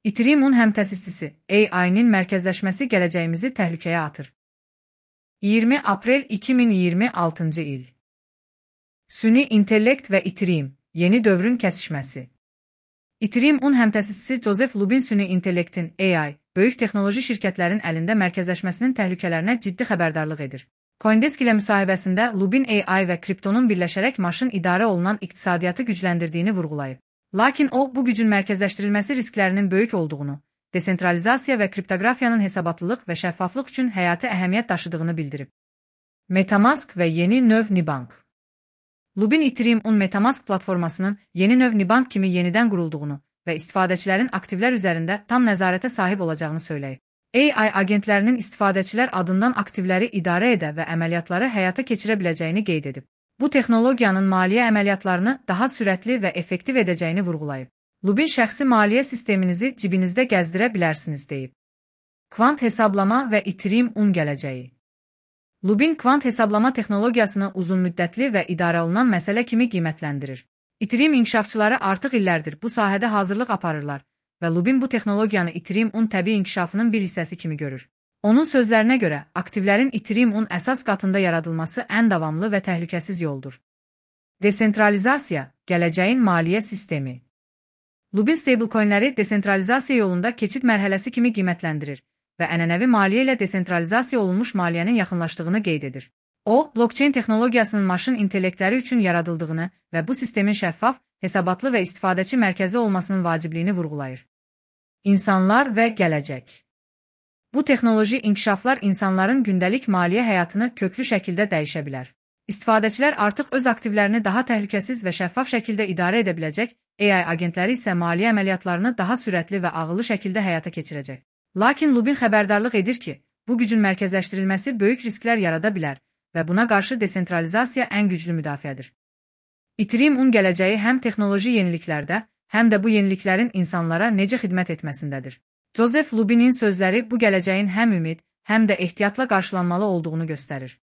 Ethereum-un həmtəsisçisi AI-nin mərkəzləşməsi gələcəyimizi təhlükəyə atır. 20 aprel 2026-cı il. Süni intellekt və Ethereum, yeni dövrün kəsişməsi. Ethereum-un həmtəsisçisi Joseph Lubin süni intellektin AI, böyük texnoloji şirkətlərin əlində mərkəzləşməsinin təhlükələrinə ciddi xəbərdarlıq edir. CoinDesk ilə müsahibəsində Lubin AI və kriptonun birləşərək maşın idarə olunan iqtisadiyyatı gücləndirdiyini vurğulayıb. Lakin o, bu gücün mərkəzləşdirilməsi risklərinin böyük olduğunu, desentralizasiya və kriptoqrafiyanın hesabatlılıq və şəffaflıq üçün həyati əhəmiyyət daşıdığını bildirib. MetaMask və yeni növ Nibank. Lubin Ethereum-un MetaMask platformasının yeni növ Nibank kimi yenidən qurulduğunu və istifadəçilərin aktivlər üzərində tam nəzarətə sahib olacağını söyləyib. AI agentlərinin istifadəçilər adından aktivləri idarə edə və əməliyyatları həyata keçirə biləcəyini qeyd edib. Bu texnologiyanın maliyyə əməliyyatlarını daha sürətli və effektiv edəcəyini vurğulayıb. Lubin şəxsi maliyyə sisteminizi cibinizdə gəzdirə bilərsiniz deyib. Kvant hesablama və Ethereum-un gələcəyi. Lubin kvant hesablama texnologiyasını uzunmüddətli və idarə olunan məsələ kimi qiymətləndirir. Ethereum inkişafçıları artıq illərdir bu sahədə hazırlıq aparırlar və Lubin bu texnologiyanı Ethereum-un təbii inkişafının bir hissəsi kimi görür. Onun sözlərinə görə, aktivlərin Ethereum-un əsas qatında yaradılması ən davamlı və təhlükəsiz yoldur. Desentralizasiya, gələcəyin maliyyə sistemi. Lubin stablecoinləri desentralizasiya yolunda keçid mərhələsi kimi qiymətləndirir və ənənəvi maliyyə ilə desentralizasiya olunmuş maliyyənin yaxınlaşdığını qeyd edir. O, blockchain texnologiyasının maşın intellektləri üçün yaradıldığını və bu sistemin şəffaf, hesabatlı və istifadəçi mərkəzi olmasının vacibliyini vurğulayır. İnsanlar və gələcək. Bu texnoloji inkişaflar insanların gündəlik maliyyə həyatını köklü şəkildə dəyişə bilər. İstifadəçilər artıq öz aktivlərini daha təhlükəsiz və şəffaf şəkildə idarə edə biləcək, AI agentləri isə maliyyə əməliyyatlarını daha sürətli və ağıllı şəkildə həyata keçirəcək. Lakin Lubin xəbərdarlıq edir ki, bu gücün mərkəzləşdirilməsi böyük risklər yarada bilər və buna qarşı desentralizasiya ən güclü müdafiədir. Ethereum-un gələcəyi həm texnoloji yeniliklərdə, həm də bu yeniliklərin insanlara necə xidmət etməsindədir. Joseph Lubinin sözləri bu gələcəyin həm ümid, həm də ehtiyatla qarşılanmalı olduğunu göstərir.